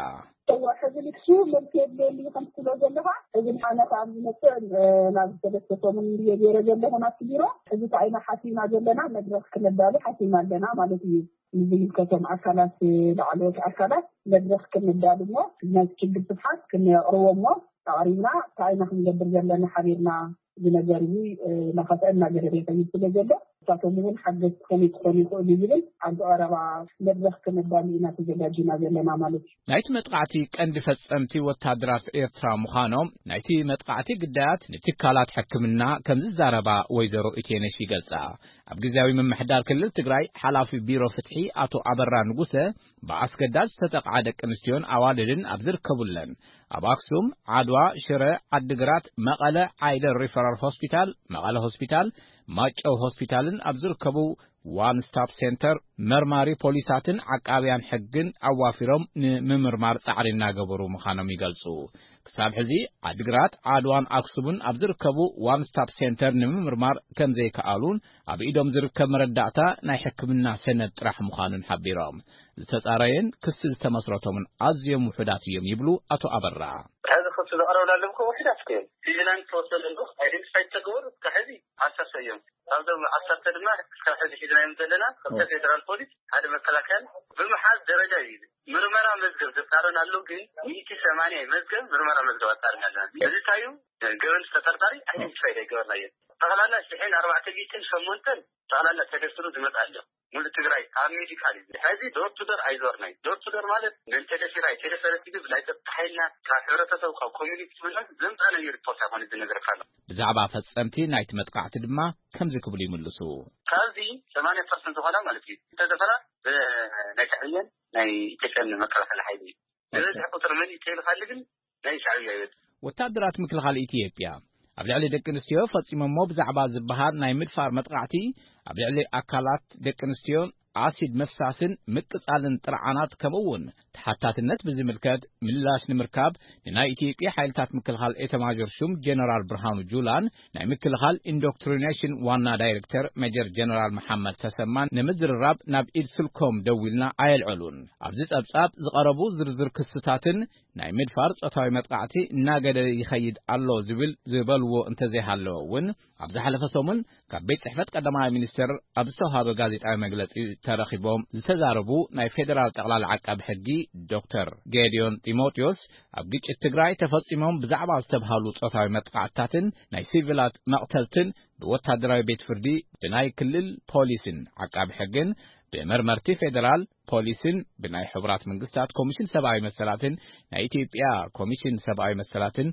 እወ፣ ሕዚ ንሱ መልሲ የድልየኒ ከም ትብሎ ዘለኻ፣ ሕዚ ንሓነ ካብ ዝመፅእ ናብ ሰለስተ ሰሙን እየ ገይረ ዘለኹ ናብቲ ቢሮ። ሕዚ እንታይ ኢና ሓሲብና ዘለና፣ መድረኽ ክነዳሉ ሓሲብና ኣለና ማለት እዩ። ንዝምልከቶም ኣካላት፣ ላዕለዎት ኣካላት መድረኽ ክነዳሉ እሞ ነቲ ችግር ስፍሓት ክነቕርቦ እሞ ኣቕሪብና እንታይ ኢና ክንገብር ዘለና ሓቢርና እዚ ነገር እዚ እናኸፍአ እናገደደ ይኸይድ ስለ ዘሎ ንሳቶም እውን ሓገዝ ክኾኑ ክኾኑ ይኽእሉ ዝብል ኣብ ቀረባ መድረኽ ክነዳሉ ኢና ተዘጋጅና ዘለና ማለት እዩ። ናይቲ መጥቃዕቲ ቀንዲ ፈጸምቲ ወታደራት ኤርትራ ምዃኖም ናይቲ መጥቃዕቲ ግዳያት ንትካላት ሕክምና ከም ዝዛረባ ወይዘሮ ኢቴነሽ ይገልጻ። ኣብ ግዝያዊ ምምሕዳር ክልል ትግራይ ሓላፊ ቢሮ ፍትሒ ኣቶ ኣበራ ንጉሰ ብኣስገዳድ ዝተጠቕዓ ደቂ ኣንስትዮን ኣዋልድን ኣብ ዝርከቡለን ኣብ ኣክሱም፣ ዓድዋ፣ ሽረ፣ ዓድግራት፣ መቐለ፣ ዓይደር ሪፈራል ሆስፒታል፣ መቐለ ሆስፒታል፣ ማጨው ሆስፒታልን ኣብ ዝርከቡ ዋን ስታፕ ሴንተር መርማሪ ፖሊሳትን ዓቃብያን ሕግን ኣዋፊሮም ንምምርማር ጻዕሪ እናገበሩ ምዃኖም ይገልጹ። ክሳብ ሕዚ ዓድግራት፣ ዓድዋን ኣክሱምን ኣብ ዝርከቡ ዋን ስታፕ ሴንተር ንምምርማር ከም ዘይከኣሉን ኣብ ኢዶም ዝርከብ መረዳእታ ናይ ሕክምና ሰነድ ጥራሕ ምዃኑን ሓቢሮም። ዝተጻረየን ክሲ ዝተመስረቶምን ኣዝዮም ውሑዳት እዮም ይብሉ ኣቶ ኣበራ። ሕዚ ክሲ ዘቕረብና ኣለዉ እኮ ውሑዳት እኮ እዮም። ቪጂላንስ ተወሰነ ኣለዉ፣ ኣይደንቲፋይ ዝተገበሩ እስካብ ሕዚ ዓሰርተ እዮም። ካብዞም ዓሰርተ ድማ እስካብ ሕዚ ሒዝናዮም ዘለና ክልተ ፌደራል ፖሊስ፣ ሓደ መከላከያን ብምሓዝ ደረጃ እዩ። ምርመራ መዝገብ ዘጣረን ኣሎ፣ ግን ሚእቲ ሰማንያ መዝገብ ምርመራ መዝገብ ኣጣርና ኣለና። እዚ እንታይ እዩ? ገበን ተጠርጣሪ ኣይደንቲፋይ ኣይገበርናዮ። ጠቕላላ ሽሕን ኣርባዕተ ሚእትን ሸሞንተን ጠቕላላ ተደርድሩ ዝመጽእ ኣሎ። ሙሉ ትግራይ ኣብ ሜዲካል እዩ። ሕዚ ዶር ቱ ዶር ኣይዞርናይ። ዶር ቱ ዶር ማለት መን ተደፊራ ኣይተደፈረት ዝብል ናይ ጸጥታ ሓይልና ካብ ሕብረተሰብ ካብ ኮሚኒቲ ምናምን ዘምጻእናዮ ሪፖርት ኣይኮነ ዝነግረካ ኣሎ። ብዛዕባ ፈጸምቲ ናይቲ መጥቃዕቲ ድማ ከምዚ ክብሉ ይምልሱ። ካብዚ ሰማንያ ፐርሰንት ዝኾና ማለት እዩ ዝተደፈራ ብናይ ሻዕብያን ናይ ኢትዮጵያን መከላኸሊ ሓይሊ እዩ። ዝበዝሕ ቁፅሪ መን እዩ ተይልካሉ ግን ናይ ሻዕብያ ይበዝሕ። ወታደራት ምክልኻል ኢትዮጵያ ኣብ ልዕሊ ደቂ ኣንስትዮ ፈጺሞሞ ብዛዕባ ዝበሃል ናይ ምድፋር መጥቃዕቲ፣ ኣብ ልዕሊ ኣካላት ደቂ ኣንስትዮን ኣሲድ ምፍሳስን ምቅጻልን ጥርዓናት፣ ከምኡ እውን ተሓታትነት ብዝምልከት ምላሽ ንምርካብ ንናይ ኢትዮጵያ ሓይልታት ምክልኻል ኤታማዦር ሹም ጀነራል ብርሃኑ ጁላን ናይ ምክልኻል ኢንዶክትሪኔሽን ዋና ዳይሬክተር ሜጀር ጀነራል መሓመድ ተሰማን ንምዝርራብ ናብ ኢድ ስልኮም ደዊልና ኣየልዐሉን። ኣብዚ ጸብጻብ ዝቐረቡ ዝርዝር ክስታትን ናይ ምድፋር ጾታዊ መጥቃዕቲ እናገደደ ይኸይድ ኣሎ ዝብል ዝበልዎ እንተዘይሃለወ እውን፣ ኣብ ዝሓለፈ ሰሙን ካብ ቤት ጽሕፈት ቀዳማይ ሚኒስትር ኣብ ዝተዋሃበ ጋዜጣዊ መግለጺ ተረኺቦም ዝተዛረቡ ናይ ፌደራል ጠቕላላ ዓቃቢ ሕጊ ዶክተር ጌዲዮን ጢሞቴዎስ፣ ኣብ ግጭት ትግራይ ተፈጺሞም ብዛዕባ ዝተብሃሉ ጾታዊ መጥቃዕትታትን ናይ ሲቪላት መቕተልትን ብወታደራዊ ቤት ፍርዲ፣ ብናይ ክልል ፖሊስን ዓቃቢ ሕግን፣ ብመርመርቲ ፌደራል ፖሊስን ብናይ ሕቡራት መንግስታት ኮሚሽን ሰብኣዊ መሰላትን ናይ ኢትዮጵያ ኮሚሽን ሰብኣዊ መሰላትን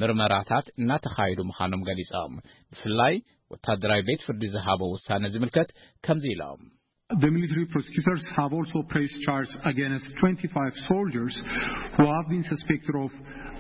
ምርመራታት እናተኻየዱ ምዃኖም ገሊጾም። ብፍላይ ወታደራዊ ቤት ፍርዲ ዝሃቦ ውሳነ ዝምልከት ከምዚ ኢሎም። The military prosecutors have also pressed charges against twenty-five soldiers who have been suspected of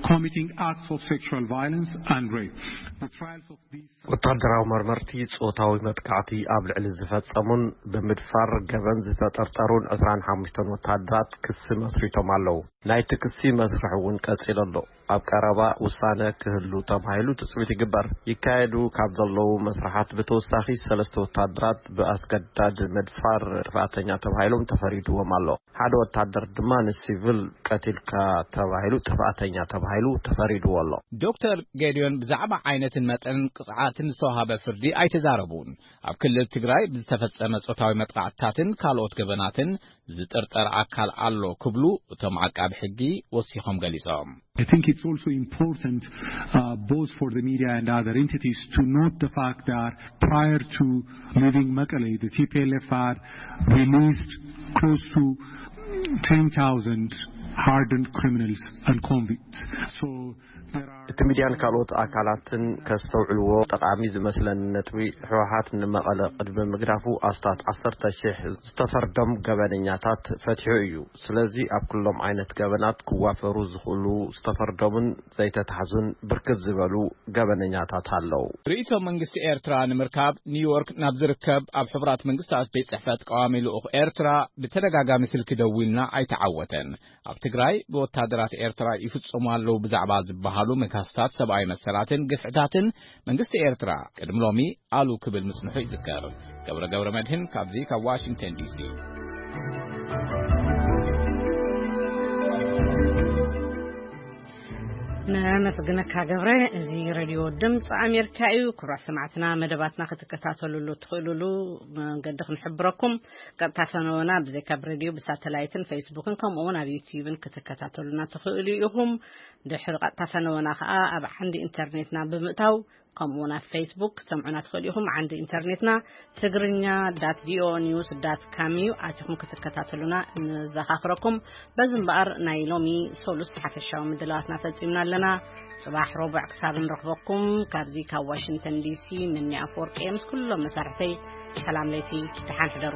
committing acts of sexual violence and rape. The trials of these ወታደራዊ መርመርቲ ጾታዊ መጥቃዕቲ ኣብ ልዕሊ ዝፈጸሙን ብምድፋር ገበን ዝተጠርጠሩን ዕስራን ሓሙሽተን ወታደራት ክሲ መስሪቶም ኣለዉ። ናይቲ ክሲ መስርሕ እውን ቀጺሉ ኣሎ። ኣብ ቀረባ ውሳነ ክህሉ ተባሂሉ ትጽቢት ይግበር። ይካየዱ ካብ ዘለዉ መስርሓት ብተወሳኺ ሰለስተ ወታደራት ብኣስገዳድ ምድፋር ጥፍኣተኛ ተባሂሎም ተፈሪድዎም ኣሎ። ሓደ ወታደር ድማ ንሲቪል ቀቲልካ ተባሂሉ ጥፍኣተኛ ተባሂሉ ተፈሪድዎ ኣሎ። ዶክተር ጌዲዮን ብዛዕባ ዓይነትን መጠንን ቅጽዓትን ዝተዋሃበ ፍርዲ ኣይተዛረቡን። ኣብ ክልል ትግራይ ብዝተፈጸመ ጾታዊ መጥቃዕትታትን ካልኦት ገበናትን ዝጥርጠር ኣካል ኣሎ ክብሉ እቶም ዓቃቢ ሕጊ ወሲኾም ገሊጾም። I think it's also important, uh, both for the media and other entities to note the fact that prior to leaving Mekelle, the T P L F had released close to ten thousand hardened criminals and convicts. So there are እቲ ሚድያን ካልኦት ኣካላትን ከስተውዕልዎ ጠቓሚ ዝመስለኒ ነጥቢ፣ ህወሓት ንመቐለ ቅድሚ ምግዳፉ ኣስታት ዓሰርተ ሺሕ ዝተፈርዶም ገበነኛታት ፈቲሑ እዩ። ስለዚ ኣብ ኩሎም ዓይነት ገበናት ክዋፈሩ ዝኽእሉ ዝተፈርዶምን ዘይተታሕዙን ብርክት ዝበሉ ገበነኛታት ኣለዉ። ርእይቶ መንግስቲ ኤርትራ ንምርካብ ኒውዮርክ ናብ ዝርከብ ኣብ ሕቡራት መንግስታት ቤት ጽሕፈት ቀዋሚ ልኡኽ ኤርትራ ብተደጋጋሚ ስልኪ ደዊልና ኣይተዓወተን። ኣብ ትግራይ ብወታደራት ኤርትራ ይፍጸሙ ኣለዉ ብዛዕባ ዝበሃሉ መግሃስታት ሰብኣዊ መሰላትን ግፍዕታትን መንግስቲ ኤርትራ ቅድሚ ሎሚ ኣሉ ክብል ምጽንሑ ይዝከር። ገብረ ገብረ መድህን ካብዚ ካብ ዋሽንግተን ዲሲ። ነመስግነካ ገብረ። እዚ ሬድዮ ድምፂ ኣሜሪካ እዩ። ክቡራት ሰማዕትና፣ መደባትና ክትከታተሉሉ ትኽእሉሉ መንገዲ ክንሕብረኩም። ቀጥታ ፈነወና ብዘይካ ብሬድዮ ብሳተላይትን ፌስቡክን ከምኡ እውን ኣብ ዩትዩብን ክትከታተሉና ትኽእሉ ኢኹም። ድሕሪ ቀጥታ ፈነወና ከዓ ኣብ ዓንዲ ኢንተርኔትና ብምእታው ከምኡ እውን ኣብ ፌስቡክ ክትሰምዑና ትኽእሉ ኢኹም። ዓንዲ ኢንተርኔትና ትግርኛ ዳት ቪኦኤ ኒውስ ዳት ካም እዩ። ኣቲኹም ክትከታተሉና ንዘኻኽረኩም። በዚ እምበኣር ናይ ሎሚ ሰሉስ ሓፈሻዊ ምድላዋትና ፈጺምና ኣለና። ጽባሕ ረቡዕ ክሳብ ንረኽበኩም ካብዚ ካብ ዋሽንግተን ዲሲ ምኒ ኣፈወርቂ ምስ ኩሎም መሳርሕተይ ሰላም ለይቲ፣ ደሓን ሕደሩ።